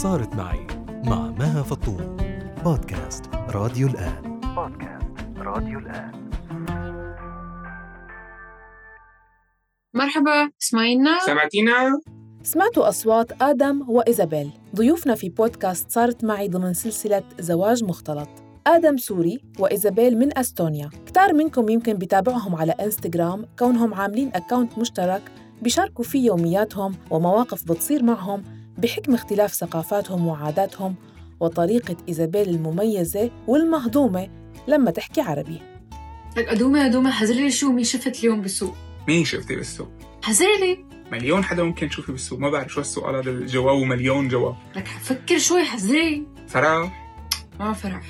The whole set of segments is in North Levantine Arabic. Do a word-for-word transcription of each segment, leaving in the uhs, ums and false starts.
صارت معي مع مها فطوم. بودكاست راديو الآن. بودكاست راديو الآن. مرحبا، اسمعينا؟ سمعتينا؟ سمعتوا أصوات آدم وإيزابيل، ضيوفنا في بودكاست صارت معي ضمن سلسلة زواج مختلط. آدم سوري وإيزابيل من أستونيا. كتار منكم يمكن بيتابعهم على إنستغرام كونهم عاملين أكاونت مشترك بيشاركوا فيه يومياتهم ومواقف بتصير معهم بحكم اختلاف ثقافاتهم وعاداتهم وطريقة إيزابيل المميزة والمهضومة لما تحكي عربي. لك أدومة أدومة حزرلي شو مين شفت اليوم بالسوق؟ مين شفتي بالسوق؟ حزرلي مليون حدا ممكن تشوفي بالسوق، ما بعرف شو السؤال هذا، الجواب مليون جواب. لك فكر شوي، حزرلي. فرح؟ ما فرح،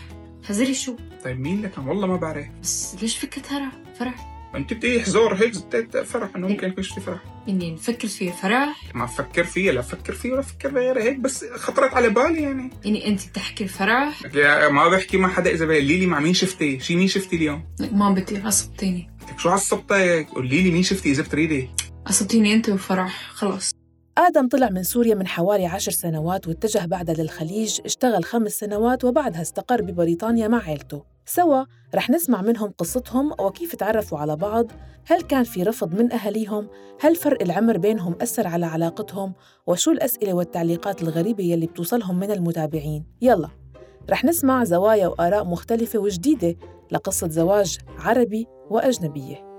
حزرلي شو؟ طيب مين لك؟ والله ما بعرف. بس ليش فكرت هرا فرح؟ انت بدي حزور هيك زدت فرح انه ممكن يكون شفتي فرح. إني نفكر فيه فرح؟ ما افكر فيه، لا افكر فيه ولا افكر غير هيك، بس خطرت على بالي يعني. إني أنت بتحكي فرح؟ لك ما بحكي مع حدا. اذا قولي لي مع مين شفتي؟ شي مين شفتي اليوم؟ لك ما بدي، عصبتيني. لك شو عصبتك؟ قولي لي مين شفتي اذا بتريدي. عصبتيني أنت وفرح، خلاص. آدم طلع من سوريا من حوالي عشر سنوات واتجه بعدها للخليج، اشتغل خمس سنوات وبعدها استقر ببريطانيا مع عيلته. سوا رح نسمع منهم قصتهم وكيف تعرفوا على بعض، هل كان في رفض من أهليهم، هل فرق العمر بينهم أثر على علاقتهم، وشو الأسئلة والتعليقات الغريبة يلي بتوصلهم من المتابعين. يلا رح نسمع زوايا وآراء مختلفة وجديدة لقصة زواج عربي وأجنبية.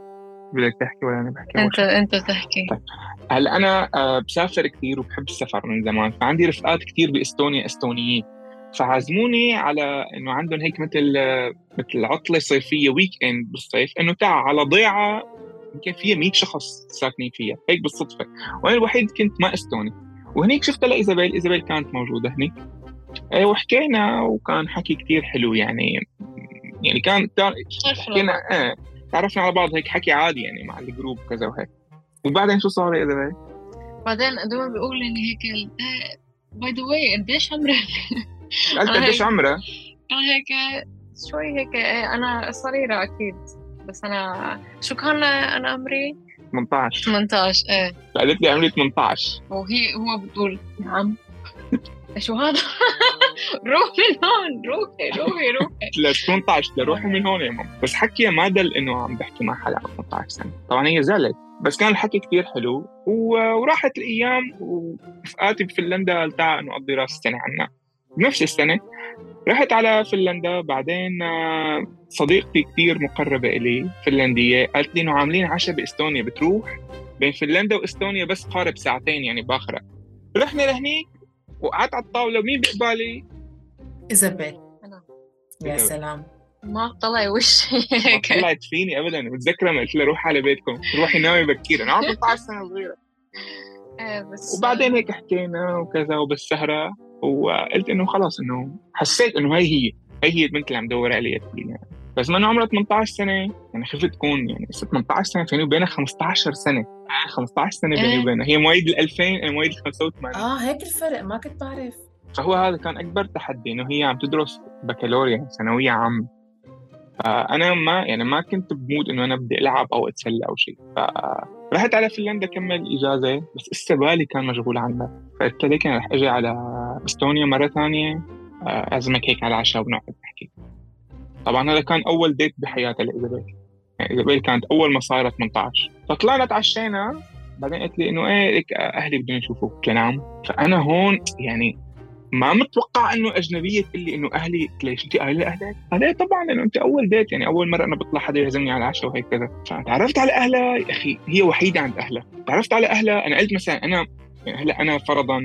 بدك تحكي ولا أنا بحكي؟ أنت أنت تحكي. طيب. هلا أنا بسافر كثير وبحب السفر من زمان، فعندي رفقات كثير بإستونيا استونيين، فعزموني على إنه عندهم هيك مثل مثل عطلة صيفية ويك إند بالصيف، إنه تعال على ضيعة يمكن فيها مية شخص ساكنين فيها هيك بالصدفة، وأنا الوحيد كنت ما استوني. وهنيك شفت لإيزابيل، إيزابيل كانت موجودة هنيك وحكينا وكان حكي كتير حلو يعني يعني كان حكينا آه تعرفنا على بعض هيك حكي عادي يعني مع الجروب كذا وهيك. وبعدين شو صار يا إيزابيل؟ بعدين أدوما بيقول إن هيك باي ذا واي قديش عمرك؟ قلت قديش عمرك؟ أنا هيك شوي هيك أنا صغيرة أكيد، بس أنا شو كان أنا عمري؟ ثمانية عشر ثمانية عشر إيه. قالت لي عمري ثمانية عشر وهي هو بتقول نعم. شو هذا؟ روحي من هون، روحي روحي روحي لا ثمانية عشر لروحي من هون يا ماما. بس حكي ما دل إنه عم بحكي مع حدا ثمانية عشر سنة، طبعا هي زعلت، بس كان الحكي كتير حلو. وراحت الأيام ورفقاتي بفنلندا التعا إنه أقضي راس السنة عنا. بنفس السنة رحت على فنلندا. بعدين صديقتي كتير مقربة إلي فنلندية قالت لي إنه عاملين عشاء بإستونيا، بتروح؟ بين فنلندا وإستونيا بس قارب ساعتين يعني باخرة. رحنا لهنيك وقعدت على الطاولة، ومين بقبالي؟ إيزابيل. يا سلام، ما طلع وشي ما طلعت فيني أبداً. متذكرة ما قلت لها روح على بيتكم، روحي نامي بكير، أنا عمري ثمانية عشر سنة صغيرة. وبعدين هيك حكينا وكذا وبالسهرة، وقلت إنه خلاص إنه حسيت إنه هاي هي هاي هي البنت اللي عم دور عليها يعني. بس ما إنه عمرها ثمانية عشر سنة يعني، خفت تكون يعني ثمانية عشر سنة فيني وبينها خمسة عشر سنة. خمسة عشر سنة بيني وبينها، هي مواليد الألفين أنا مواليد الخمسة وثمانين. آه هيك الفرق، ما كنت بعرف. فهو هذا كان أكبر تحدي، إنه هي عم تدرس بكالوريا ثانوية عام، فأنا ما يعني ما كنت بمود إنه أنا بدي ألعب أو أتسلى أو شيء. فرحت على فنلندا كمل إجازة، بس استبالي كان مشغول عنها، فقلت لك أنا رح أجي على إستونيا مرة ثانية أعزمك هيك على العشاء ونقعد نحكي. طبعا هذا كان أول ديت بحياتي لإيزابيل، يعني إيزابيل كانت أول ما صارت ثمانية عشر. فطلعنا تعشينا، بعدين قلت لي إنه إيه لك أهلي بدهم يشوفوك. قلت نعم. فأنا هون يعني ما متوقع إنه أجنبية تقول لي إنه أهلي. ليش أنت أهلي أهلك؟ هذا طبعاً إنه أنت أول ديت يعني أول مرة أنا بطلع حدا يعزمني على العشاء وهيك كذا. فتعرفت على أهلها يا أخي، هي وحيدة عند أهلها. تعرفت على أهلها، أنا قلت مثلاً أنا يعني هلا أنا فرضاً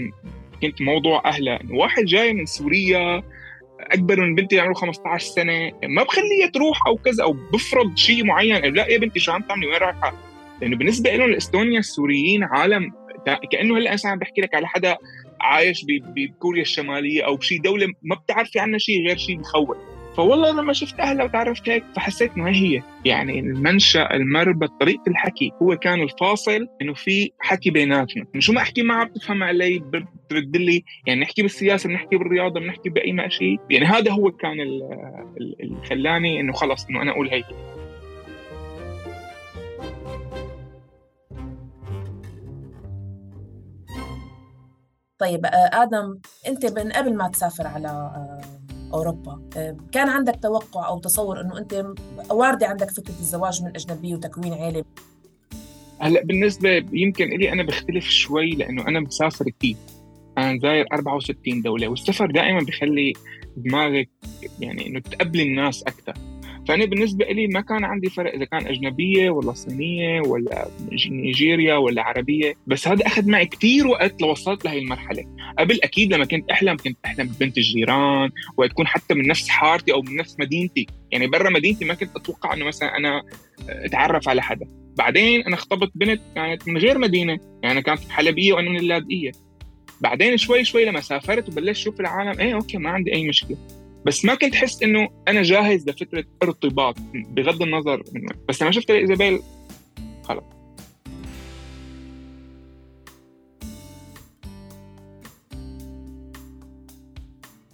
كنت موضوع أهلها إنه واحد جاي من سوريا أكبر من بنتي عمره خمسة عشر سنة، ما بخليها تروح أو كذا أو بفرض شيء معين. لا يا بنتي شو عم تعملي، وين رايحة؟ لأنه بالنسبة لهم الإستونيا السوريين عالم، كأنه هلا أنا بحكي لك على حدا عايش بكوريا الشمالية أو شيء دولة ما بتعرفي عنها شيء غير شيء بخوف. فوالله لما شفت أهلها وتعرفت هيك فحسيت إنه هي يعني المنشأ المربط طريقة الحكي هو كان الفاصل، إنه في حكي بيناتنا، شو ما أحكي معها بتفهم علي بترد لي، يعني نحكي بالسياسة بنحكي بالرياضة بنحكي بأي ما شيء. يعني هذا هو كان اللي خلاني إنه خلص إنه أنا أقول هيك. طيب آدم، أنت من قبل ما تسافر على أوروبا كان عندك توقع أو تصور أنه أنت واردة عندك فكرة الزواج من أجنبي وتكوين عائلة؟ هلأ بالنسبة يمكن إلي أنا بختلف شوي، لأنه أنا مسافر كتير، أنا زاير أربعة وستين دولة، والسفر دائما بيخلي دماغك يعني إنه تقبل الناس أكتر. فأنا بالنسبة إلي ما كان عندي فرق إذا كان أجنبية ولا صينية ولا نيجيريا ولا عربية، بس هذا أخذ معي كتير وقت لوصلت لهي المرحلة. قبل أكيد لما كنت أحلم كنت أحلم ببنت الجيران وتكون حتى من نفس حارتي أو من نفس مدينتي، يعني برا مدينتي ما كنت أتوقع أنه مثلا أنا أتعرف على حدا. بعدين أنا اختبت بنت كانت من غير مدينة، يعني كانت في حلبية وأنا من اللاذقية. بعدين شوي شوي لما سافرت وبلشت شوف العالم، ايه اوكي ما عندي اي مشكله، بس ما كنت حس انه انا جاهز لفكره ارتباط بغض النظر منه. بس لما شفت إيزابيل خلص.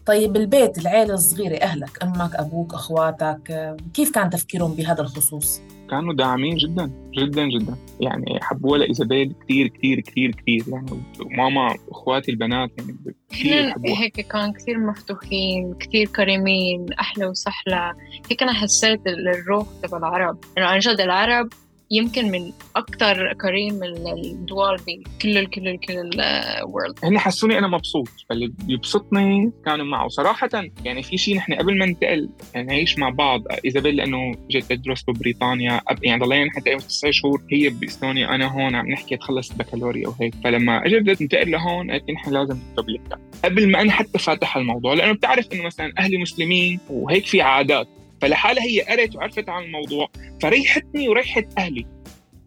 طيب البيت، العائله الصغيره، اهلك، امك، ابوك، اخواتك، كيف كان تفكيرهم بهذا الخصوص؟ كانوا داعمين جدا جدا جدا، يعني حبوا لها إيزابيل كتير كتير كتير كتير، يعني ماما واخواتي البنات يعني كتير حبوها. هيك كان كتير مفتوحين، كتير كريمين، أحلى وسهلة. هيك أنا حسيت الروح تبع العرب، إنه عن جد العرب يمكن من أكتر كريم الدول بكل ال كل ال كل الورلد. هني حسوني أنا مبسوط، فاللي بيبسطني كانوا معه صراحة. يعني في شيء نحن قبل ما ننتقل نعيش مع بعض، إيزابيل لأنه جيت تدرس ببريطانيا، يعني ضلينا حتى تسع شهور هي بإستونيا أنا هون عم نحكي تخلص البكالوريا وهيك. فلما أجي بدأت ننتقل لهون قلت نحن لازم نكتب لك قبل ما أنا حتى فاتح الموضوع، لأنه بتعرف إنه مثلا أهلي مسلمين وهيك في عادات، فلحالها هي قرأت وعرفت عن الموضوع فريحتني وريحت أهلي.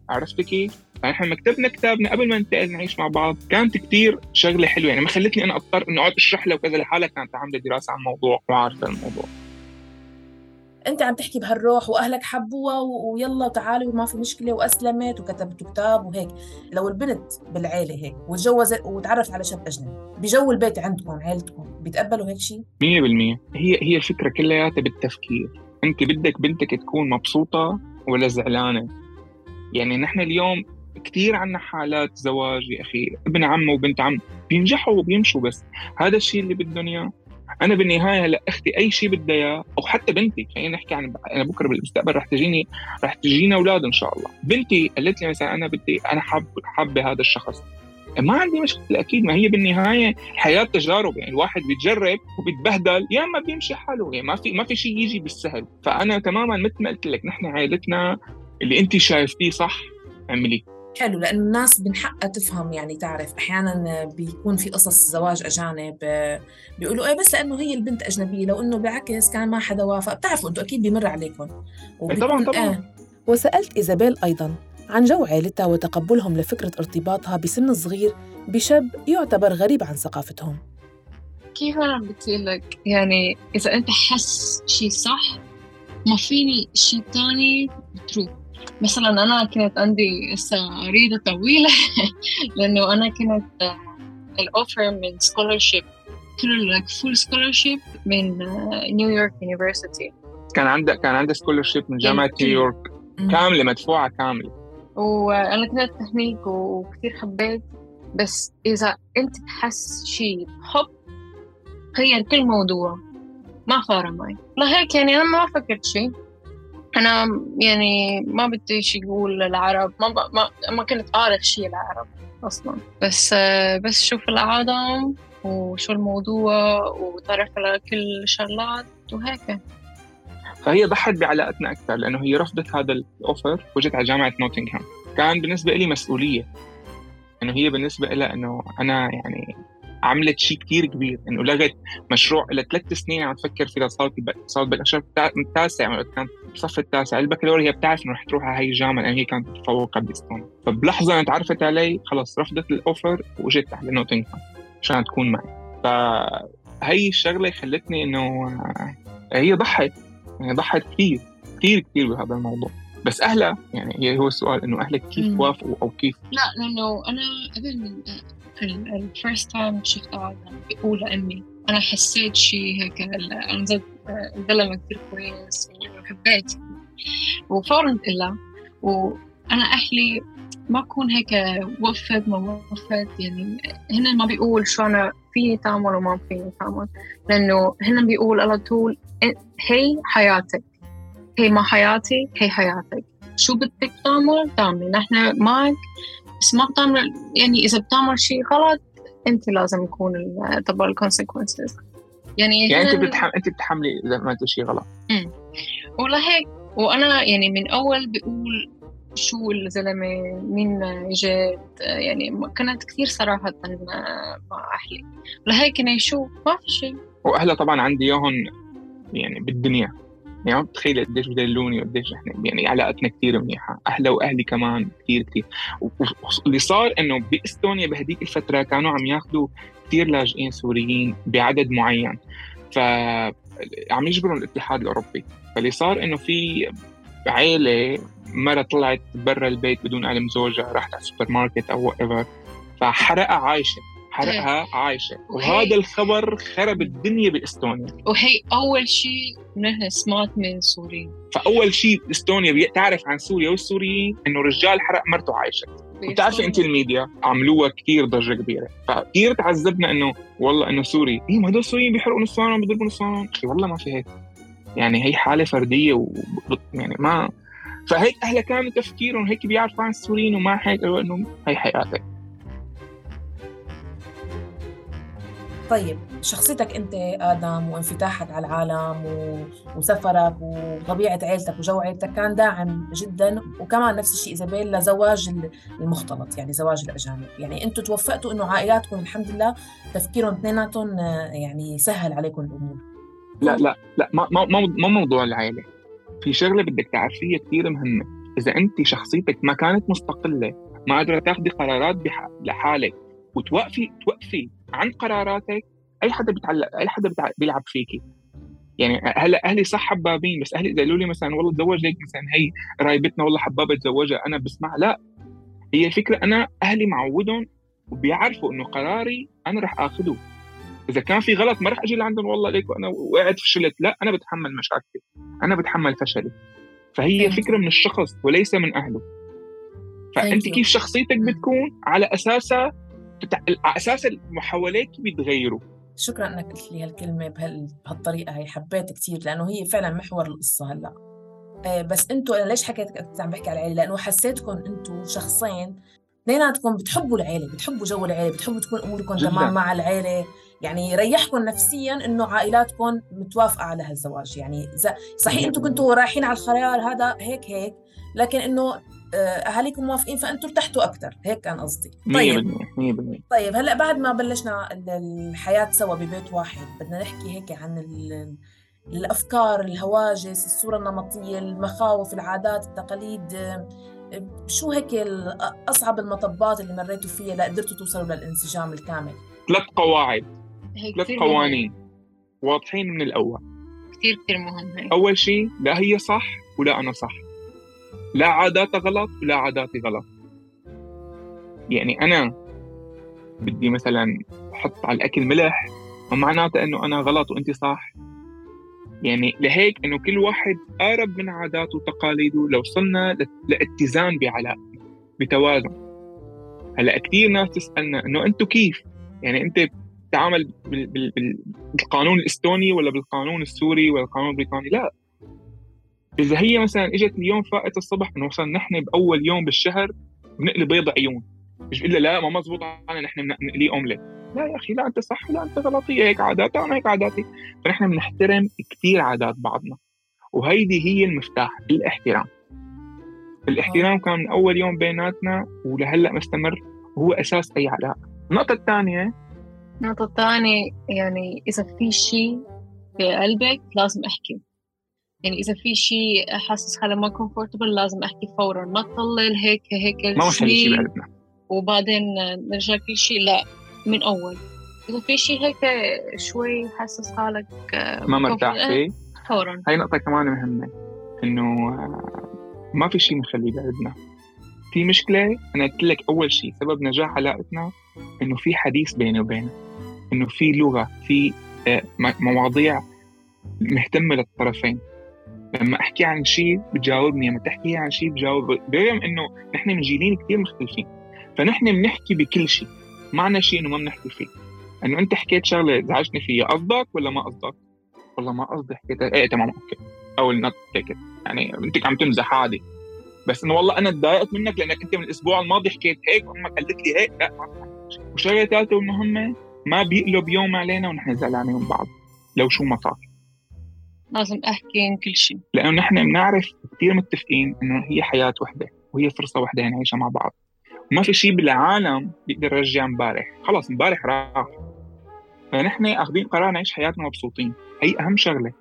عرفت كيف؟ فنحن مكتبنا كتابنا قبل ما ننتقل نعيش مع بعض كانت كتير شغلة حلوة، يعني ما خلتني أنا أضطر إنه أقعد أشرح له وكذا، لحالها كانت عاملة دراسة عن الموضوع وعارفة الموضوع. أنت عم تحكي بهالروح وأهلك حبوها ويلا تعالوا وما في مشكلة وأسلمت وكتبت كتاب وهيك. لو البنت بالعيلة هيك وتجوزت وتعرف على شاب أجنبي بجو البيت عندكم عيلتكم، بيتقبلوا هيك شيء؟ مية بالمية. هي هي الفكرة كلها بالتفكير. أنت بدك بنتك تكون مبسوطة ولا زعلانة؟ يعني نحن اليوم كتير عنا حالات زواج يا أخي ابن عم وبنت عم بينجحوا وبيمشوا، بس هذا الشيء اللي بدهم إياه. أنا بالنهاية هلا أختي أي شيء بدها إياه، أو حتى بنتي، خلينا نحكي عن أنا بكرة بالمستقبل رح تجيني رح تجينا أولاد إن شاء الله. بنتي قالت لي مثلا أنا بدي أنا حاب حابة هذا الشخص، ما عندي مشكلة أكيد. ما هي بالنهاية الحياة تجارب، يعني الواحد بيتجرب وبيتبهدل يا ما بيمشي حاله، يعني ما في ما في شيء يجي بالسهل. فأنا تماما مثل ما قلت لك نحن عائلتنا اللي أنت شايفتيه صح اعملي. حلو، لأنه الناس من حقها تفهم، يعني تعرف أحياناً بيكون في قصص زواج أجانب بيقولوا إيه بس لأنه هي البنت أجنبية، لو إنه بالعكس كان ما حدا وافق. بتعرفوا أنتوا أكيد بيمر عليكم طبعاً طبعاً. آه. وسألت إيزابيل أيضاً عن جو عائلتها وتقبلهم لفكرة ارتباطها بسن صغير بشاب يعتبر غريب عن ثقافتهم. كيف أنا بقول لك، يعني إذا أنت حس شيء صح ما فيني شيء تاني تروح. مثلا أنا كانت عندي ريدة طويلة لأنه أنا كانت الأوفر من scholarship كل full scholarship من نيويورك يونيفرسيتي. كان عندك كان عندي scholarship من جامعة نيويورك كاملة مدفوعة كاملة، وأنا كنت تحنيك وكثير حبيت. بس إذا أنت تحس شيء حب غير كل موضوع، ما فارق معي. لهيك يعني أنا ما فكرت شيء، أنا يعني ما بدي شيء يقول العرب، ما ما ما كنت أعرف شيء العرب أصلاً، بس بس شوف العالم وشو الموضوع وتعرف على كل شغلات وهيك. فهي ضحت بعلاقتنا أكثر لأنه هي رفضت هذا الأوفر وجت على جامعة نوتنغهام. كان بالنسبة لي مسؤولية، إنه هي بالنسبة لها إنه أنا يعني عملت شيء كتير كبير، إنه لغت مشروع إلى ثلاث سنين عم تفكر فيها، صارت صارت بالأشهر التاسع، كانت بصف التاسع البكالوريا، هي بتعرف إنه رح تروح على هاي الجامعة لأن هي كانت متفوقة بإستونيا. فبلحظة تعرفت علي خلاص رفضت الأوفر وجت على نوتنغهام عشان تكون معي. فهي الشغلة خلتني إنه هي ضحت يعني ضحت كتير كتير كتير بهذا الموضوع. بس أهلها يعني هو السؤال إنه أهلك كيف وافقوا أو كيف؟ لا، لأنه أنا قبل من الفيرست تايم شفتها بقول أمي أنا حسيت شيء هيك، أنا زد الزلمة كتير كويس وحبيت، وفورا إلا. وأنا أهلي ما أكون هيك وقفت ما وقفت. يعني هن ما بيقول شو أنا فيني تعمل وما فيني تعمل، لأنه هن بيقول على طول هي حياتك، هي ما حياتي، هي حياتك، شو بدك تعمل تعمل، نحن معك، بس ما بتعمل. يعني إذا بتعمل شيء غلط أنت لازم يكون تبع الكونسيكونسز. يعني يعني أنت بتحمل أنت بتحملي إذا ما شيء غلط. امم ولهيك وأنا يعني من أول بقول شو الزلمة مين جد، يعني كانت كثير صراحة مع أهلي، لهيك أنا شو ما في شيء. وأهلا طبعا عندي ياهن يعني بالدنيا، يعني بتخيل قديش بدلوني وقديش احنا يعني علاقتنا كتير منيحة. أهلا وأهلي كمان كتير كتير. واللي صار إنه بإستونيا بهديك الفترة كانوا عم ياخدوا كتير لاجئين سوريين بعدد معين، فعم يجبروا الاتحاد الأوروبي. فاللي صار إنه في عائلة مرة طلعت برا البيت بدون علم زوجها، راحت على السوبر ماركت أو whatever، فحرقها عايشة، حرقها عايشة. وهذا الخبر خرب الدنيا بإستونيا، وهي أول شيء نحن سمعت من سوريين. فأول شيء إستونيا تعرف عن سوريا والسوريين إنه رجال حرق مرته عايشة. وتعرفي أنت الميديا عملوها كتير ضجة كبيرة، فكتير تعذبنا إنه والله إنه سوري إيه ما هدول السوريين بيحرقوا نصانهم بيضربوا نصانهم. والله ما في هيك، يعني هي حالة فردية و... يعني ما فهيك أهلا كانوا تفكيرهم هيك بيعرفوا عن السوريين وما هيك إنه هي حياتك. طيب شخصيتك أنت آدم وانفتاحك على العالم و... وسفرك وطبيعة عيلتك وجو عيلتك كان داعم جدا، وكمان نفس الشيء إيزابيل لزواج المختلط، يعني زواج الأجانب. يعني أنتوا توفقتوا إنه عائلاتكم الحمد لله تفكيرهم اثنيناتهم يعني سهل عليكم الأمور. لا لا لا ما ما ما موضوع العائلة. في شغلة بدك تعرفيها كتير مهمة، إذا أنت شخصيتك ما كانت مستقلة، ما قادرة تاخدي قرارات بح... لحالك وتوقفي توقفي عن قراراتك، أي حدا بيتعلق أي حدا بتع... بيلعب فيكي. يعني هلا أهلي صح حبابين، بس أهلي إذا قالوا لي مثلا والله تزوج ليك مثلا هي قرايبتنا والله حبابة تزوجها أنا بسمع لا. هي الفكرة أنا أهلي معودهم وبيعرفوا إنه قراري أنا رح آخده. إذا كان في غلط ما رح أجي لعندهم والله ليك وأنا وقعت فشلت، لا أنا بتحمل مشاكلي، أنا بتحمل فشلي. فهي فكرة من الشخص وليس من أهله. فأنت كيف شخصيتك بتكون على أساسها بتع... أساس المحاولات بيتغيروا. شكرا أنك قلت لي هالكلمة بهال... بهالطريقة هي، حبيت كتير لأنه هي فعلا محور القصة هلأ. آه بس أنتوا أنا ليش حكيت عم بحكي على العيلة؟ لأنه حسيتكم أنتوا شخصين اثنيناتكم بتحبوا العيلة، بتحبوا جو العيلة، بتحبوا تكون أموركم تمام مع العيلة، يعني يريحكم نفسياً إنه عائلاتكم متوافقة على هالزواج. يعني صحيح أنتوا كنتوا رايحين على الخيار هذا هيك هيك، لكن إنه أهاليكم موافقين فأنتوا ارتحتوا أكتر، هيك كان قصدي. طيب مية بالمية. طيب هلأ بعد ما بلشنا الحياة سوا ببيت واحد، بدنا نحكي هيك عن الأفكار، الهواجس، الصورة النمطية، المخاوف، العادات، التقاليد. شو هيك أصعب المطبات اللي مريتوا فيها لقدرتوا توصلوا للانسجام الكامل؟ ثلاث قواعد، ثلاث قوانين واضحين من الأول، كتير كتير مهم. هي. أول شيء لا هي صح ولا أنا صح، لا عاداتي غلط ولا عاداتي غلط. يعني أنا بدي مثلا أحط على الأكل ملح ومعناته أنه أنا غلط وأنت صح. يعني لهيك أنه كل واحد قارب من عاداته وتقاليده لو وصلنا لاتزان بعلاقة بتوازن. هلأ كتير ناس تسألنا أنه أنتوا كيف؟ يعني أنت تعامل بالقانون الإستوني ولا بالقانون السوري ولا القانون البريطاني؟ لا. إذا هي مثلا إجت اليوم فائت الصبح نوصل نحن بأول يوم بالشهر بنقلي بيض عيون، مش إلا لا ما مزبوط علينا نحن بنقلي أومليت. لا يا أخي لا أنت صح ولا أنت غلط، هي هيك عاداتي أنا هيك عاداتي. فنحن بنحترم كتير عادات بعضنا، وهيدي هي المفتاح، الاحترام. الاحترام كان من أول يوم بيناتنا ولهلأ مستمر وهو أساس أي علاقة. النقطة الثانية النقطة الثانية يعني إذا في شيء في قلبك لازم أحكي. يعني إذا في شيء حاسس حالة ما كومفورتبل لازم أحكي فوراً، ما تطلل هيك هيك ما مخلي شيء بقلبنا وبعدين نرجع كل شيء. لا، من أول إذا في شيء هيك شوي حاسس حالك ما مرتاح فيه فوراً. هاي نقطة كمان مهمة، إنه ما في شيء مخلي بقلبنا. في مشكلة أنا قلت لك أول شيء سبب نجاح علاقتنا إنه في حديث بيني وبينه، إنه في لغة، في مواضيع مهتمة للطرفين. لما أحكي عن شيء بتجاوبني، لما تحكي عن شيء بجاوب، برغم إنه نحن من جيلين كتير مختلفين، فنحن بنحكي بكل شيء، معنى شيء إنه ما بنحكي فيه. إنه أنت حكيت شغلة زعجتني فيها، قصدك ولا ما قصدك؟ والله ما قصدي حكيتها، إيه تمام أوكي، أو النط تيكت، يعني أنت عم تمزح عادي، بس إنه والله أنا تضايقت منك لأنك أنت من الأسبوع الماضي حكيت هيك وأمك قالت لي هيك، لا ما بحكي. وشغلة ثالثة والمهمة، ما بيقلب يوم علينا ونحن زعلانين من بعض لو شو ما صار. لازم أحكي كل شيء، لأنه نحن بنعرف كتير متفقين إنه هي حياة وحدة وهي فرصة وحدة نعيشها مع بعض، وما في شيء بالعالم بيقدر يرجع امبارح، خلاص امبارح راح. فنحن أخذين قرار نعيش حياتنا مبسوطين، هي أهم شغلة.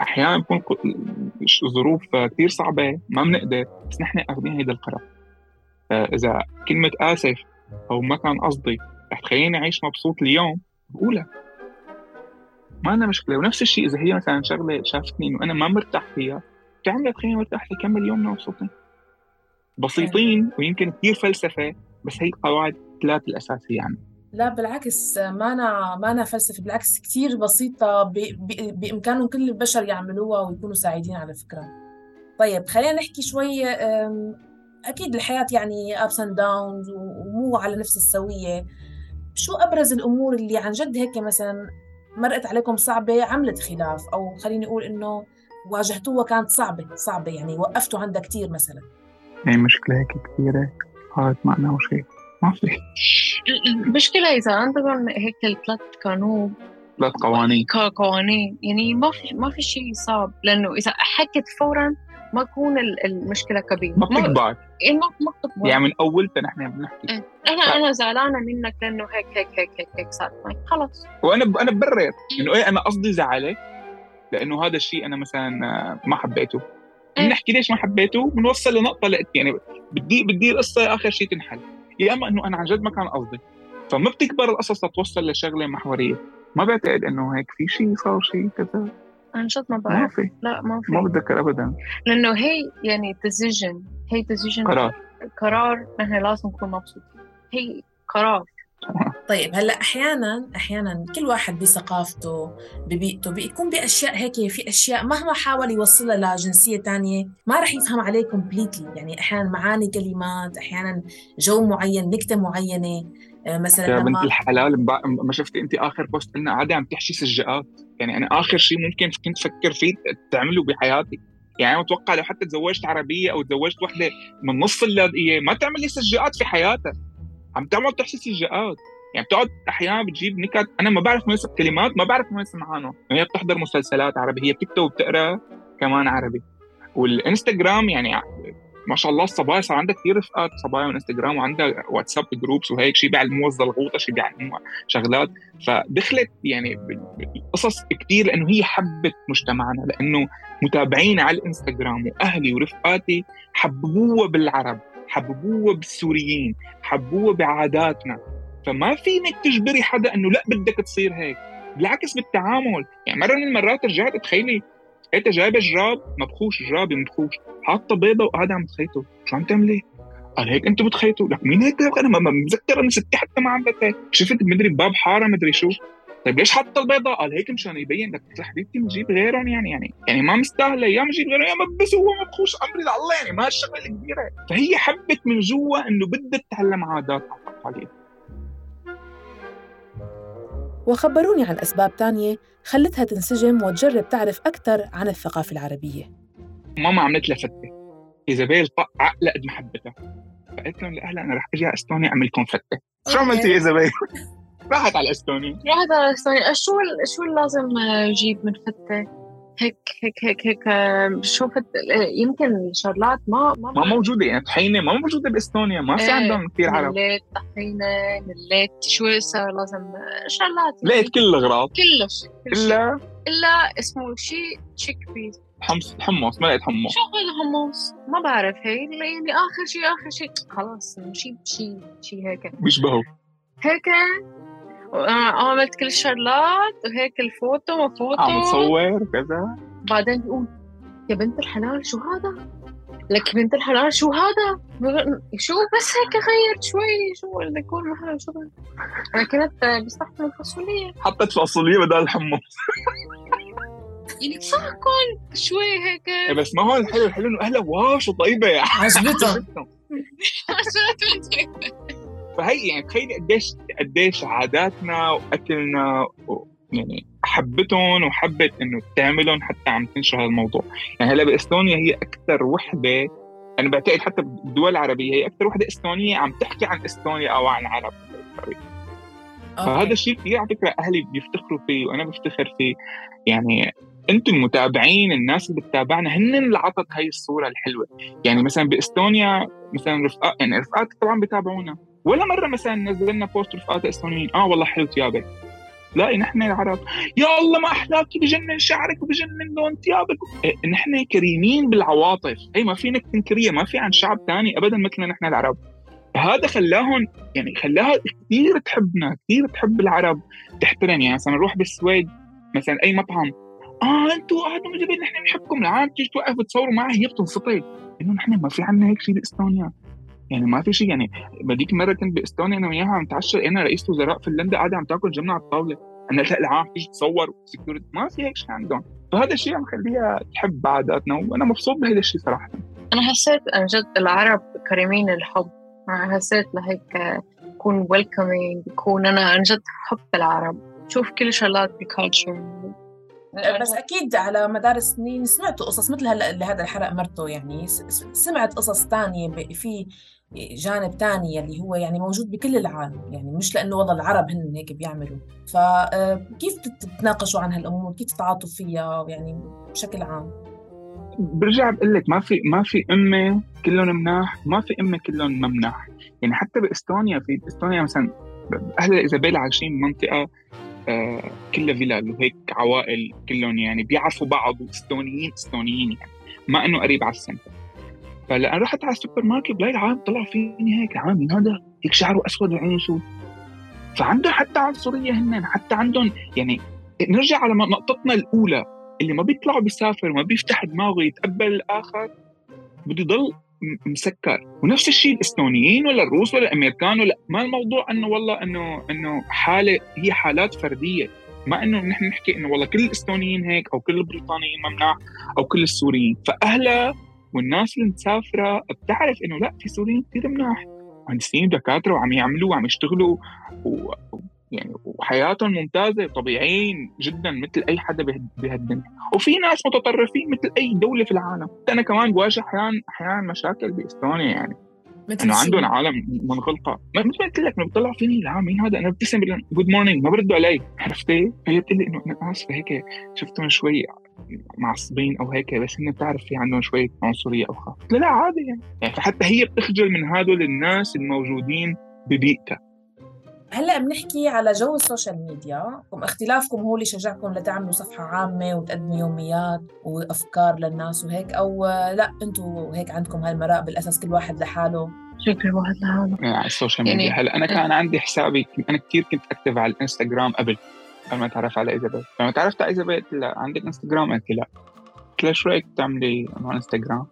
أحيانا بكون ظروف كتير صعبة ما بنقدر، بس نحن أخذين هيدا القرار. إذا كلمة آسف أو ما كان قصدي رح تخليني أعيش مبسوط اليوم، بقولها ما أنا مشكلة. ونفس الشيء إذا هي مثلا شغلة شافتني إنه أنا ما مرتاح فيها، تعمل تخليني مرتاح لكمل يومنا مبسوطين. بسيطين ويمكن كتير فلسفة، بس هي قواعد ثلاث الأساسية يعني. لا بالعكس، ما أنا ما أنا فلسفة، بالعكس كتير بسيطة، ب... ب... بإمكانهم كل البشر يعملوها ويكونوا سعيدين على فكرة. طيب خلينا نحكي شوي. أكيد الحياة يعني ups and downs ومو على نفس السوية. شو أبرز الأمور اللي عن جد هيك مثلا مرقت عليكم صعبة عملت خلاف، أو خليني أقول إنه واجهتوها كانت صعبة صعبة يعني وقفتوا عندها كتير مثلا؟ هي مشكلة هيك كثيرة قالت معنا وشيء ما في. المشكلة إذا عندهم هيك الثلاث قانون، ثلاث قوانين قوانين يعني ما في ما في شيء صعب، لأنه إذا حكت فوراً ما تكون المشكلة كبيرة، ما بتكبر. إيه ما ما بتكبر يعني من أولتها نحن بنحكي إيه. أنا ف... أنا زعلانة منك لأنه هيك هيك هيك هيك هيك صار معي، خلاص. وأنا ب... أنا ببرر إنه إيه أنا قصدي زعلك لأنه هذا الشيء أنا مثلاً ما حبيته. إيه. بنحكي ليش ما حبيته، بنوصل لنقطة لقيت يعني بدي بدي القصة آخر شيء تنحل، يا أما إنه أنا عن جد ما كان قصدي. فما بتكبر القصص تتوصل لشغلة محورية. ما بعتقد إنه هيك في شيء صار شيء كذا، عن جد ما بعرف. ما في. لا ما في، ما بتذكر أبداً. لأنه هي يعني decision، هي decision قرار قرار نحن لازم نكون مبسوطين، هي قرار. طيب هلا احيانا احيانا كل واحد بثقافته ببيئته بيكون باشياء هيك، في اشياء مهما حاول يوصلها لجنسيه تانية ما رح يفهم عليه كومبليتلي. يعني احيانا معاني كلمات، احيانا جو معين، نكته معينه مثلا. يا لما بنت الحلال ما شفتي انت اخر بوست لنا عادي عم تحشي سجاءات؟ يعني انا اخر شيء ممكن كنت افكر فيه تعمله بحياتي، يعني انا متوقع لو حتى تزوجت عربيه او تزوجت وحده من نص اللاذقيه ما تعمل لي سجاءات في حياتها، عم تعمل تحشي سجاءات. يعني بتقعد احيانا بتجيب نكت انا ما بعرف ميسب كلمات، ما بعرف ميسب معانه. هي بتحضر مسلسلات عربي، هي بتكتب وبتقرا كمان عربي. والانستغرام يعني ما شاء الله الصبايا صار عندها كثير رفقات صبايا من انستغرام، وعندها واتساب جروبس وهيك، شيء بيعلموها الزلغوطه، شيء بيعلموها شغلات. فدخلت يعني قصص كثير لانه هي حبت مجتمعنا، لانه متابعين على الانستغرام واهلي ورفقاتي حببوها بالعرب، حببوها بالسوريين، حبوها بعاداتنا. فما فينك تجبري حدا انه لا بدك تصير هيك، بالعكس بالتعامل. يعني مره من المرات رجعت تخيلي انت جايبه جراب مبخوش، جرابي مبخوش، حاطه بيضه وقاعده عم تخيطه، شو عم تعملي؟ قال هيك انتوا بتخيطوا؟ لك مين هيك؟ انا ما متذكر ان ستي حتى ما عملت هيك، شفت مدري باب حاره مدري شو. طيب ليش حاطه البيضه؟ قال هيك مشان يبين لك يا حبيبتي نجيب غيرهم، يعني يعني يعني ما مستاهله، يا نجيب غيرهم يا مبس هو مبخوش، امري لله، يعني ما الشغله الكبيره. فهي حبت من جوا انه بدها تتعلم عادات وتقاليد. وخبروني عن أسباب تانية خلتها تنسجم وتجرب تعرف أكثر عن الثقافة العربية. ماما عملت لها فتة، إيزابيل عقلة قد محبتها، فقلت لهم لأهلها أنا رح أجي على إستونيا أعمل لكم فتة. شو عملتي يا إيزابيل؟ راحت على إستونيا. راحت على إستونيا. شو شو لازم أجيب من فتة؟ هيك هيك هيك هيك شوفت يمكن شغلات ما ما, ما موجودة، يعني طحينة ما موجودة بإستونيا، ما في عندهم كثير عرب. مليت طحينة، مليت شو صار لازم شغلات، لقيت كل الأغراض كل شيء إلا إلا اسمه شيء تشيك بيز، حمص حمص. ما لقيت حمص. شو هذا حمص؟ ما بعرف. هي يعني آخر شيء آخر شيء خلاص شيء شيء شيء هيك بيشبهوا هيك. عملت كل الشغلات وهيك الفوتو وفوتو عم تصور كذا. بعدين بيقول يا بنت الحلال شو هذا؟ لك بنت الحلال شو هذا؟ شو بس هيك غيرت شوي شو الديكور محل شو بقى. أنا كنت بستحمل الفاصولية، حطت فاصولية بدل الحمص. يعني صحكن شوي هيك. بس ما هو الحلو الحلو إنه أهلا واو شو طيبة يا عجبتهم. فهي يعني تخيلي قديش قديش عاداتنا وأكلنا و يعني حبتهم وحبت إنه تعملهم حتى عم تنشر هذا الموضوع. يعني هلا بإستونيا هي أكثر وحدة، أنا بعتقد حتى بالدول العربية هي أكثر وحدة إستونية عم تحكي عن إستونيا أو عن العرب. فهذا الشيء كثير على فكرة أهلي بيفتخروا فيه وأنا بفتخر فيه. يعني أنتم المتابعين، الناس اللي بتتابعنا هن اللي عطت هاي الصورة الحلوة. يعني مثلا بإستونيا مثلا رفقات، يعني رفقات طبعا بيتابعونا، ولا مرة مثلا نزلنا بوست رفقات إستونيين آه والله حلو ثيابك، لا نحن العرب يا الله ما أحلاكي بجنن شعرك وبجنن لون ثيابك. إيه نحن كريمين بالعواطف، هي ما فينك تنكريها، ما في عن شعب تاني أبدا مثلنا نحن العرب. هذا خلاهم يعني خلاها كثير تحبنا، كثير تحب العرب، تحترم. يعني مثلا نروح بالسويد مثلا أي مطعم، آه أنتوا هذا مجبين نحن نحبكم، العام تيجي توقف تصوروا معه هي بتنفطر إنه نحن ما في عنا هيك شيء بإستونيا. يعني ما في شيء. يعني بديك مرة كنت بإستونيا أنا وياها عم نتعشى، أنا رئيس وزراء فنلندا قاعدة عم تاكل جملة على الطاولة، أنا لا العام تيجي تصور سكيورتي، ما في هيك شيء عندهم. فهذا الشيء عم خليها تحب عاداتنا وأنا مبسوط بهذا الشيء صراحة. أنا حسيت أن جد العرب كريمين الحب، حسيت لهيك يكون welcoming، يكون أنا عن جد حب العرب، شوف كل شغلات بكالتشر. بس أكيد على مدار السنين سمعتوا قصص مثل هلا اللي هذا الحرق مرته، يعني سمعت قصص تانية في جانب تاني اللي هو يعني موجود بكل العالم، يعني مش لأنه والله العرب هن هيك بيعملوا. فكيف تتناقشوا عن هالأمور، كيف تتعاطوا فيها يعني بشكل عام؟ برجع بقول لك ما في ما في أمة كلهم مناح، ما في أمة كلهم ممناح. يعني حتى بإستونيا، في إستونيا مثلا أهل إيزابيل عايشين منطقة آه كلها فيلال وهيك عوائل كلهم يعني بيعرفوا بعض وإستونيين إستونيين يعني ما إنه قريب على السنتر. فلأن رحت على السوبر ماركت بلاقي العالم طلع فيني هيك عامل هذا هيك شعره أسود وعينه سود. فعندهم حتى عنصرية هنن، حتى عندهم يعني. نرجع على نقطتنا الأولى، اللي ما بيطلع بيسافر ما بيفتح دماغه يتقبل الآخر بده يضل مسكر. ونفس الشيء الإستونيين ولا الروس ولا الأمريكان ولا ما الموضوع إنه والله إنه إنه حالة، هي حالات فردية. ما إنه نحن نحكي إنه والله كل الإستونيين هيك أو كل البريطانيين ممنوع أو كل السوريين. فأهلا والناس اللي مسافرة بتعرف إنه لا في سوريين كثير مناح، مهندسين دكاترة وعم يعملوا وعم يشتغلوا و... يعني وحياتهم ممتازة طبيعيين جدا مثل أي حدا بهالدنيا. وفي ناس متطرفين مثل أي دولة في العالم. أنا كمان بواجه أحيان أحيان مشاكل بإستونيا، يعني إنه عندهم عالم منغلقة. مثل ما قلت لك إنه بطلع فيني لا مين هذا، أنا بتسم جود مورنينج ما بردوا علي، عرفتي؟ هي بتقول لي إنه أنا آسفة هيك شفتهم شوي معصبين أو هيك، بس إنه بتعرف في عندهم شوية عنصرية أو خاف. لا لا عادي يعني. يعني فحتى هي بتخجل من هذول الناس الموجودين ببيئتها. هلأ بنحكي على جو السوشيال ميديا، واختلافكم هو اللي شجعكم لتعملوا صفحة عامة وتقدموا يوميات وأفكار للناس وهيك، أو لا أنتوا هيك عندكم هالمراء بالأساس كل واحد لحاله؟ شو كل واحد لحاله على السوشيال ميديا. يعني هلأ أنا كان عندي حسابي، أنا كتير كنت أكتب على الإنستغرام قبل قبل ما أتعرف على إيزابيل. لما تعرفت على إيزابيل لا عندك إنستغرام؟ قلت لا. قلت لها شو رأيك تعملي على إنستغرام؟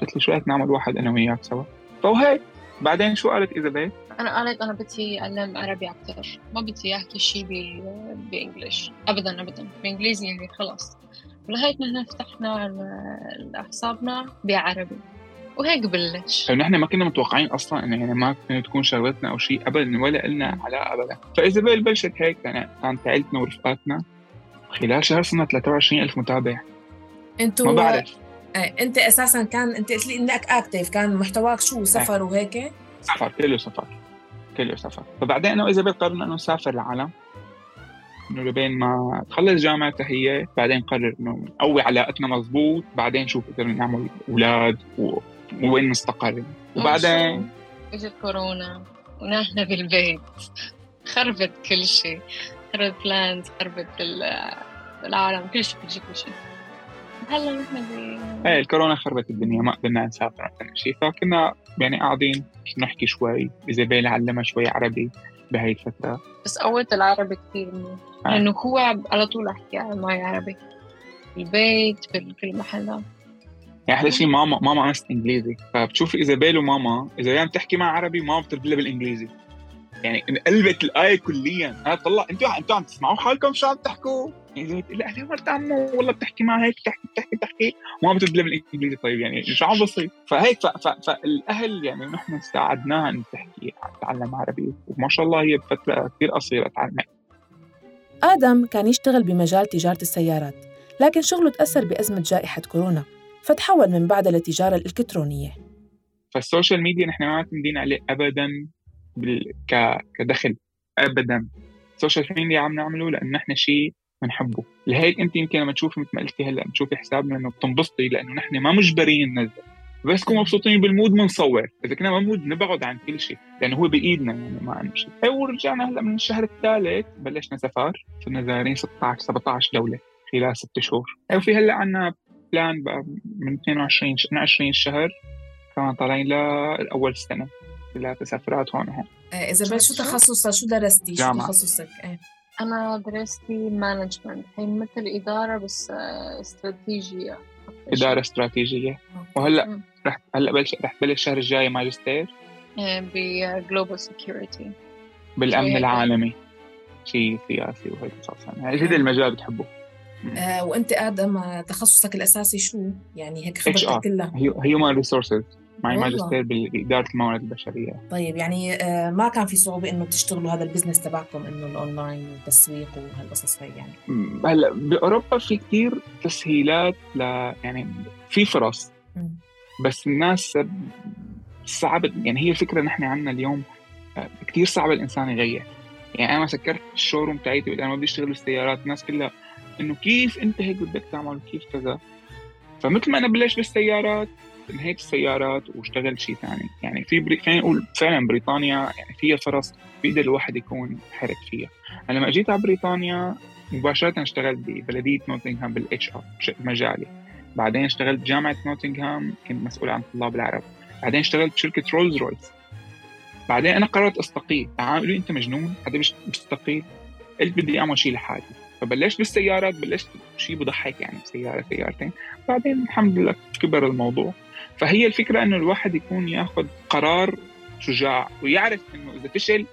قلت لي شو رأيك نعمل واحد أنا وياك سوا؟ فوهيك. بعدين شو قالت إيزابيل؟ أنا قالت أنا بدي أتعلم عربي أكتر، ما بدي أحكي شيء بإنجليش أبداً أبداً، بإنجليزي يعني خلاص. ولهيك نحن فتحنا حسابنا بعربي وهيك بلش. نحن ما كنا متوقعين أصلاً إنه يعني ما كانت تكون شغلتنا أو شيء أبداً ولا إلنا علاقة أبداً. فإيزابيل بلشت هيك يعني كانت عائلتنا ورفقاتنا خلال شهر صرنا ثلاثة وعشرين ألف متابع. أنتوا ما بعرف. أنت أساساً كان أنت قلت لي إنك أكتيف، كان محتواك شو سفر أه. وهيك؟ سفر كله سفر كله سفر. فبعدين أنا وإيزابيل قررنا إنه نسافر العالم، إنه لبين ما تخلص جامعة هي، بعدين قرر إنه نقوي علاقتنا مزبوط، بعدين شوف قدرنا نعمل أولاد و... وين نستقر. وبعدين إجت كورونا ونحن في البيت، خربت كل شيء، خربت بلانز، خربت العالم، كل شيء كل شيء كل شيء. هلا نحن ب ايه الكورونا خربت الدنيا، ما قدرنا نسافر ولا شيء. فكنا يعني قاعدين نحكي شوي، إيزابيل علمها شوي عربي بهاي الفترة. بس قوت العربي كثير منه، لأنه يعني هو على طول أحكي معي عربي البيت بكل محل. يعني أحلى شيء ماما ماما أنست إنجليزي، فبتشوف إيزابيل وماما إذا عم تحكي مع عربي وماما بترد بالإنجليزي، يعني انقلبت الآية كليا. أنا طلع أنتوا أنتوا عم تسمعوا حالكم شو عم تحكوا؟ يعني زي تقول لها مرت عمو والله بتحكي معها هيك بتحكي بتحكي بتحكي وما بتبدأ بالإنجليزي. طيب يعني شو عم بصير؟ فهيك ف... ف... فالأهل يعني نحن ساعدناها إن تحكي تتعلم عربي، وما شاء الله هي بفترة كثير قصيرة تعلمت. آدم كان يشتغل بمجال تجارة السيارات، لكن شغله تأثر بأزمة جائحة كورونا، فتحول من بعدها للتجارة الإلكترونية. فالسوشيال ميديا نحن ما معتمدين عليه أبداً بال... ك... كدخل أبداً. السوشيال ميديا عم نعمله لأن نحن شيء بنحبه. لهيك أنت يمكن لما تشوفي مثل ما قلتي هلأ بتشوفي حسابنا إنه بتنبسطي لأنه نحن ما مجبرين ننزل، بس كنا مبسوطين بالمود منصور. إذا كنا ممود نبعد عن كل شيء لأنه هو بإيدنا يعني ما عندنا شيء. ورجعنا هلأ من الشهر الثالث بلشنا سفر، صرنا زارين ستة عشر سبعة عشر دولة خلال ست شهور. وفي هلأ عنا بلان بقى من اثنين وعشرين عشرين شهر كمان طالعين لأول السنة ثلاث سفرات هون وهون. إذا شو تخصصك؟ شو درستي؟ شو تخصصك؟ إيه؟ أنا درستي مانجمنت، هي مثل إدارة بس استراتيجية. إدارة استراتيجية. وهلأ رح هلأ بلش رح بلش الشهر الجاي ماجستير بجلوبال سيكيورتي، بالأمن العالمي، شيء سياسي وهيك أساساً. يعني هذا المجال بتحبه. آه وأنت آدم تخصصك الأساسي شو؟ يعني هيك خبرتك كلها؟ Human Resources، معي ماجستير بإدارة الموارد البشرية. طيب يعني آه ما كان في صعوبة إنه تشتغلوا هذا البزنس تبعكم إنه الأونلاين والتسويق وهالقصص هاي يعني؟ هلا بأوروبا في كتير تسهيلات ل يعني في فرص م. بس الناس صعب يعني. هي الفكرة نحن عنا اليوم كتير صعب الإنسان يغير. يعني أنا سكرت الشوروم تاعيتي وأنا ما بدي أشتغل بالسيارات، الناس كلها إنه كيف أنت هيك بدك تعمل كيف كذا. فمثل ما أنا بلش بالسيارات انهيت السيارات واشتغل شيء ثاني. يعني في بري... خلينا نقول فعلا بريطانيا يعني فيها فرص بيقدر الواحد يكون حرك فيها. أنا لما جيت على بريطانيا مباشرة اشتغلت ببلدية نوتنغهام بالاتش ار مجالي. بعدين اشتغلت بجامعة نوتنغهام كنت مسؤول عن طلاب العرب. بعدين اشتغلت بشركة رولز رويس. بعدين أنا قررت أستقيل. قالوا لي أنت مجنون حدا بيستقيل؟ قلت بدي أعمل شيء لحالي. فبلشت بالسيارات، بلشت شيء بضحك يعني سيارة سيارتين. بعدين الحمد لله كبر الموضوع. فهي الفكرة إنه الواحد يكون يأخذ قرار شجاع ويعرف إنه إذا فشل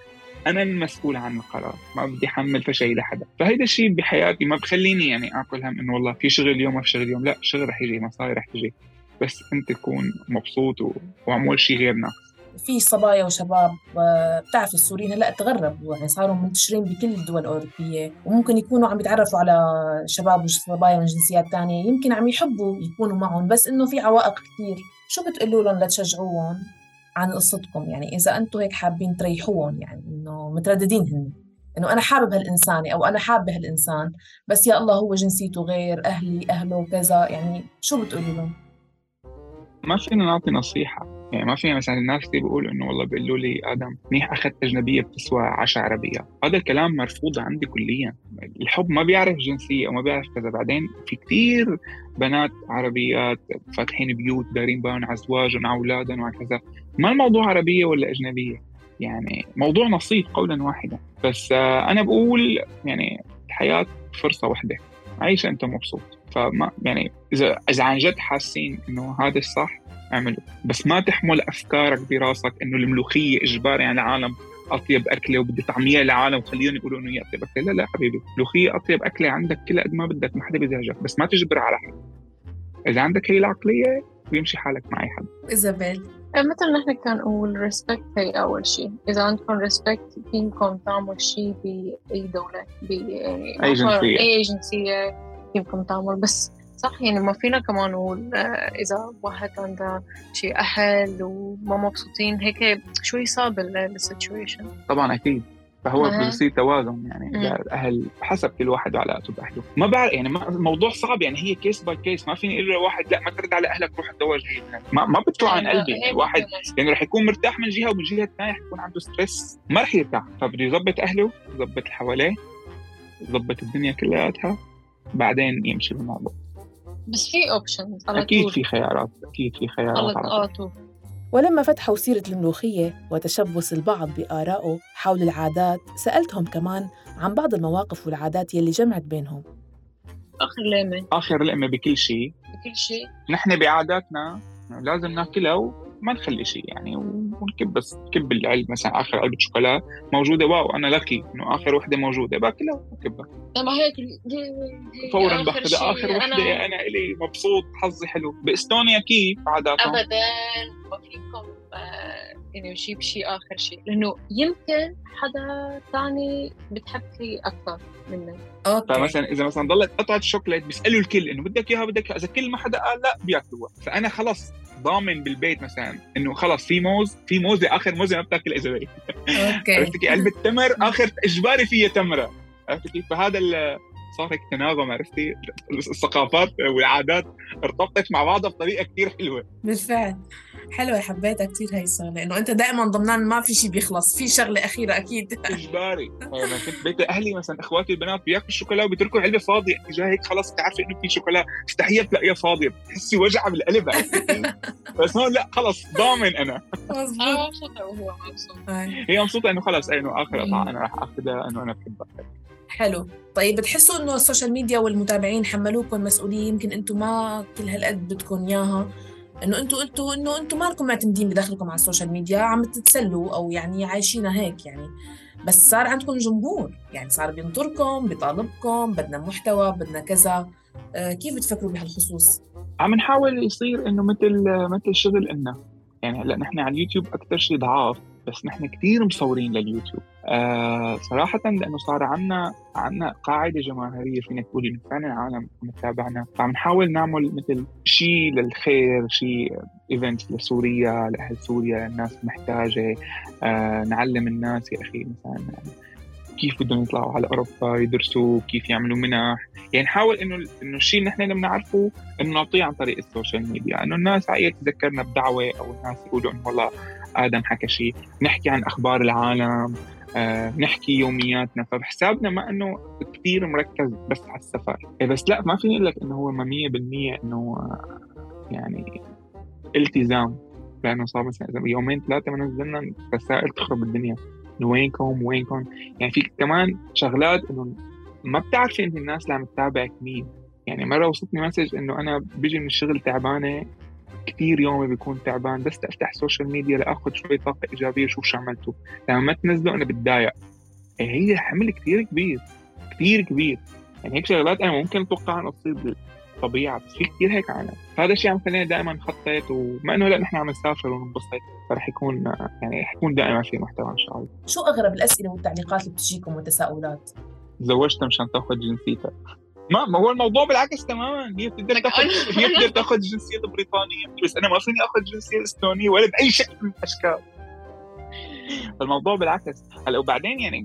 أنا المسؤول عن القرار، ما بدي أحمل فشل لحدا. فهيدا الشيء بحياتي ما بخليني يعني أكل هم إنه والله في شغل اليوم ما في شغل اليوم. لا، شغل رح يجي، مصاري رح تجي، بس أنت تكون مبسوط و... وعمول شيء غير ناقص. في صبايا وشباب بتعرف السوريين هلا تغربوا يعني صاروا منتشرين بكل الدول الأوروبية، وممكن يكونوا عم يتعرفوا على شباب وصبايا من جنسيات تانية يمكن عم يحبوا يكونوا معهم، بس إنه في عوائق كتير. شو بتقولوا لهم لتشجعوهم عن قصتكم؟ يعني إذا أنتوا هيك حابين تريحوهم، يعني إنه مترددين هن إنه أنا حابب هالإنساني أو أنا حابة هالإنسان بس يا الله هو جنسيته غير، أهلي أهله وكذا، يعني شو بتقولوا لهم؟ ما فينا نعطي نصيحة. يعني ما فينا مثلا الناس اللي بيقولوا إنه والله بيقولوا لي آدم منيح أخذت أجنبية بتسوى عشر عربية. هذا الكلام مرفوض عندي كليا. الحب ما بيعرف جنسية وما بيعرف كذا. بعدين في كتير بنات عربيات فاتحين بيوت دارين بان على أزواجهم على أولادهم وكذا. ما الموضوع عربية ولا أجنبية، يعني موضوع نصيب قولا واحدا. بس أنا بقول يعني الحياة فرصة واحدة، عيش أنت مبسوط. فما يعني إذا إذا عن جد حاسين إنه هذا الصح اعمله، بس ما تحمل أفكارك براسك إنه الملوخية إجباري على العالم أطيب أكلة وبدي طعمية للعالم وخليهم يقولوا إنه هي أطيب أكلة. لا لا حبيبي، الملوخية أطيب أكلة عندك كل قد ما بدك، ما حدا بيزعجك، بس ما تجبر على حد. إذا عندك هي العقلية بيمشي حالك مع أي حد. إيزابيل مثل نحن كان نقول ريسبكت هي أول شيء. إذا عندكم ريسبكت فيكم تعملوا شيء بأي دولة بأي جنسية أي جنسية فيكم تعمل. بس صح يعني ما فينا كمان نقول إذا واحد عنده شيء أهل وما مبسوطين هيك شوي صعب السيتويشن. طبعا أكيد. فهو بصير توازن يعني إذا الأهل حسب كل واحد وعلاقته بأهله. ما بعرف يعني الموضوع صعب يعني هي كيس باي كيس. ما فيني أقول لواحد لا ما ترد على أهلك روح تزوج هنا. ما ما بتطلع عن قلبي يعني. واحد يعني رح يكون مرتاح من جهة ومن جهة الثانية رح يكون عنده ستريس ما رح يرتاح. فبده يضبط أهله، يضبط اللي حواليه، يضبط الدنيا كلها، بعدين يمشي بالموضوع. بس في أوبشنز أكيد في خيارات أكيد في خيارات على طول. ولما فتحوا سيرة الملوخية وتشبث البعض بآرائه حول العادات، سألتهم كمان عن بعض المواقف والعادات يلي جمعت بينهم. آخر لقمة آخر لقمة بكل شيء بكل شيء. نحن بعاداتنا لازم ناكلها وما نخلي شيء يعني، تكب بس تكب العلبة مثلا آخر علبة شوكولا موجودة، واو أنا لكي إنه آخر وحدة موجودة باكلها وكبها. أما هيك فورا باخذ آخر وحدة أنا, أنا إلي مبسوط حظي حلو. بإستونيا كيف عاداتهم؟ أبداً ما فيكم إنه يجيب شيء آخر شيء، لأنه يمكن حدا تاني بتحب فيه أكثر منك. أوكي. فمثلا إذا مثلا ضلت قطعة الشوكولاتة بيسألوا الكل إنه بدك إياها بدك إياها، إذا كل ما حدا قال لا بياكلوها. فأنا خلص ضامن بالبيت مثلا إنه خلص في موز في موزة آخر موزة ما بتاكل إذا بي. أوكي. عرفت كيف؟ علبة تمر آخر إجباري فيها تمرة. عرفت كيف؟ فهذا صار هيك تناغم. عرفتي الثقافات والعادات ارتبطت مع بعضها بطريقة كتير حلوة. بالفعل حلوة، حبيتها كتير هاي الشغلة، لأنه أنت دائما ضمنان ما في شيء بيخلص، في شغلة أخيرة أكيد. إجباري. أنا كنت بيت أهلي مثلا إخواتي البنات بياكلوا الشوكولا وبيتركوا علبة فاضية، أنت جاي هيك خلاص تعرفي إنه في شوكولا استحية تلاقيها فاضية، بتحسي وجعة بالقلب. بس هون لا خلاص ضامن أنا. أنا مبسوطة وهو مبسوط. هي مبسوطة إنه خلاص إنه آخر قطعة أنا راح أخذها إنه أنا بحبها. حلو. طيب بتحسوا إنه السوشيال ميديا والمتابعين حملوكم مسؤولية يمكن أنتم ما كل هالقد بدكم إياها، إنه أنتم قلتوا إنه أنتم ما لكم معتمدين بدخلكم على السوشيال ميديا، عم تتسلوا أو يعني عايشينها هيك يعني، بس صار عندكم جمهور يعني صار بينطركم بيطالبكم بدنا محتوى بدنا كذا. آه كيف بتفكروا بهالخصوص؟ عم نحاول يصير إنه مثل مثل شغل إنه يعني هلا نحن على اليوتيوب أكتر شيء ضعاف، بس نحن كتير مصورين لليوتيوب آه صراحة، لأنه صار عنا عنا قاعدة جماهيرية فينا تقول إنه فعلا العالم متابعنا. فعم نحاول نعمل مثل شيء للخير، شيء إيفنت لسوريا لأهل سوريا الناس محتاجة، آه نعلم الناس يا أخي مثلا كيف بدهم يطلعوا على أوروبا يدرسوا، كيف يعملوا منح، يعني نحاول إنه إنه الشيء اللي نحن لما نعرفه إنه نعطيه عن طريق السوشيال ميديا، إنه الناس عاية تذكرنا بدعوة أو الناس يقولوا إنه والله آدم حكى شيء، نحكي عن أخبار العالم، آه، نحكي يومياتنا. فبحسابنا ما إنه كتير مركز بس على السفر، بس لا ما فيني أقول لك إنه هو مية بالمية إنه آه، يعني التزام، لأنه صار مثلا يومين ثلاثة ما نزلنا رسائل تخرب الدنيا وينكم وينكم. يعني في كمان شغلات إنه ما بتعرفي إن الناس اللي عم تتابعك مين. يعني مرة وصلتني مسج إنه أنا بيجي من الشغل تعبانة كتير، يومي بيكون تعبان، بس أفتح السوشيال ميديا لأخذ شوي طاقة إيجابية شوف شو عملته. لما ما تنزله أنا بتضايق. هي حمل كتير كبير كتير كبير. يعني هيك شغلات أنا ممكن أتوقع أن تصير بالطبيعة، بس في كتير هيك عالم. فهذا الشيء عم خلينا دائما نخطط، وما إنه لا نحن عم نسافر وننبسط، فرح يكون يعني حيكون دائما في محتوى إن شاء الله. شو أغرب الأسئلة والتعليقات اللي بتجيكم والتساؤلات؟ تزوجت مشان تاخذ جنسيتك؟ ما ما هو الموضوع بالعكس تماما. هي بتقدر تاخذ هي بتقدر تاخذ الجنسية البريطانية، بس أنا ما فيني أخذ الجنسية الإستونية ولا بأي شكل من الأشكال. الموضوع بالعكس. هلا وبعدين يعني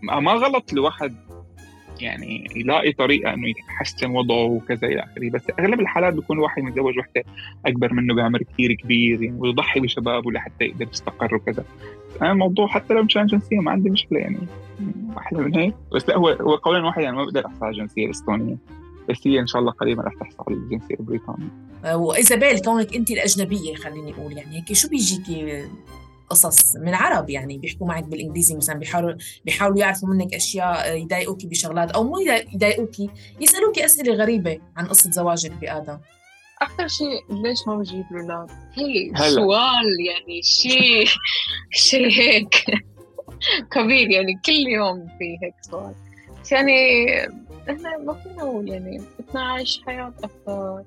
ما غلط الواحد يعني يلاقي طريقة إنه يحسن وضعه وكذا إلى آخره، بس أغلب الحالات بيكون واحد متزوج وحدة أكبر منه بعمر كتير كبير يعني، ويضحي بشبابه لحتى يقدر يستقر وكذا. أنا الموضوع حتى لو مشان جنسية ما عندي مشكلة يعني، أحلى من هيك. بس لا هو هو قولا واحد يعني ما بقدر أحصل على الجنسية الإستونية، بس هي إن شاء الله قريبا رح تحصل على الجنسية البريطانية. وإيزابيل كونك أنت الأجنبية خليني أقول يعني هيك شو بيجيكي قصص من عرب يعني بيحكوا معك بالإنجليزي مثلا، بيحاولوا بيحاولوا يعرفوا منك أشياء يضايقوكي بشغلات أو مو يضايقوكي، يسألوكي أسئلة غريبة عن قصة زواجك بآدم؟ أكثر شيء ليش ما بجيب أولاد؟ هي سؤال يعني شيء شيء هيك كبير يعني، كل يوم في هيك سؤال. يعني إحنا ما فينا نقول يعني بدنا نعيش حياة أكثر.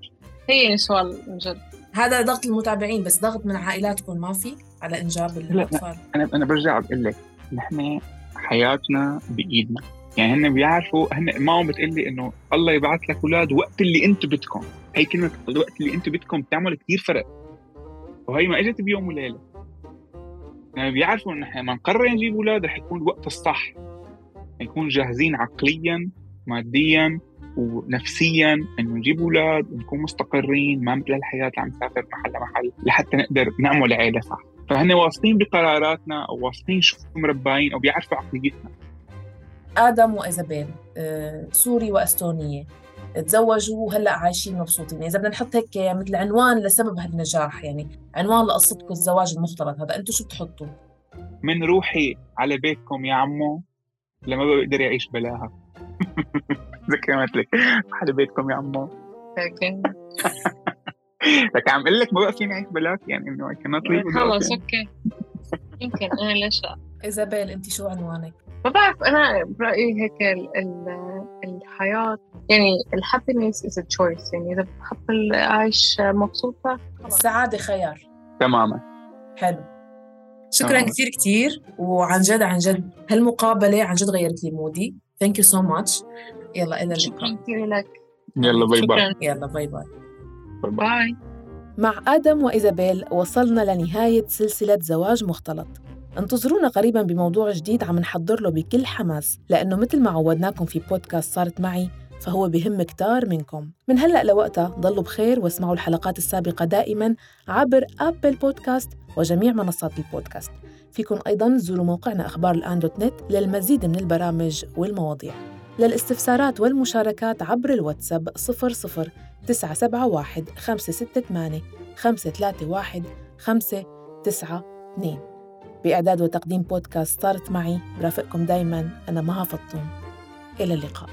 هي يعني سؤال مجد. هذا ضغط المتابعين، بس ضغط من عائلاتكم ما في على إنجاب الأطفال؟ أنا أنا برجع بقول لك نحن حياتنا بإيدنا. يعني هن بيعرفوا، هن ما عم بتقلي إنه الله يبعث لك أولاد وقت اللي أنت بدكم. هي كلمة الوقت اللي أنت بدكم بتعمل كتير فرق، وهي ما إجت بيوم وليلة. يعني بيعرفوا إن إحنا ما نقرر نجيب أولاد رح يكون الوقت الصح، نكون جاهزين عقلياً مادياً ونفسياً إنه نجيب أولاد ونكون مستقرين، ما مثل الحياة عم نسافر محل لمحل لحتى نقدر نعمل عائلة صح. فهن واثقين بقراراتنا أو واثقين شو مربعين أو بيعرفوا عقليتنا. آدم وإيزابيل آه، سوري وأستونية تزوجوا وهلأ عايشين مبسوطين. إذا بدنا نحط هيك مثل عنوان لسبب هالنجاح، يعني عنوان لقصتكم الزواج المختلط هذا، أنتوا شو بتحطوا؟ من روحي على بيتكم يا عمو لما بقدر يعيش بلاها. زي كلمت لك على بيتكم يا عمو. لك عم اقول لك ما بقى فيني اعيش بلاك، يعني انه I cannot live without خلص him. اوكي يمكن انا ليش لا. إيزابيل أنت شو عنوانك؟ ما بعرف، انا برايي هيك ال ال الحياه يعني الهابينس از تشويس، يعني اذا بتحب العيش مبسوطه السعادة خيار. تماما. حلو، شكرا تمام. كثير كثير، وعن جد عن جد هالمقابلة عن جد غيرت لي مودي. Thank you so much. يلا إلى شكرا اللقاء. كثير لك. يلا باي باي. شكرا. يلا باي باي. باي. مع آدم وإيزابيل وصلنا لنهاية سلسلة زواج مختلط. انتظرونا قريباً بموضوع جديد عم نحضر له بكل حماس، لأنه مثل ما عودناكم في بودكاست صارت معي فهو بهم كتار منكم. من هلأ لوقتها ضلوا بخير واسمعوا الحلقات السابقة دائماً عبر أبل بودكاست وجميع منصات البودكاست. فيكم أيضاً تزوروا موقعنا أخبار الآن دوت نت للمزيد من البرامج والمواضيع. للاستفسارات والمشاركات عبر الواتساب صفر صفر تسعة سبعة واحد خمسة ستة ثمانية خمسة ثلاثة واحد خمسة تسعة اثنين. بإعداد وتقديم بودكاست صارت معي برافقكم دايماً أنا مها فطوم. إلى اللقاء.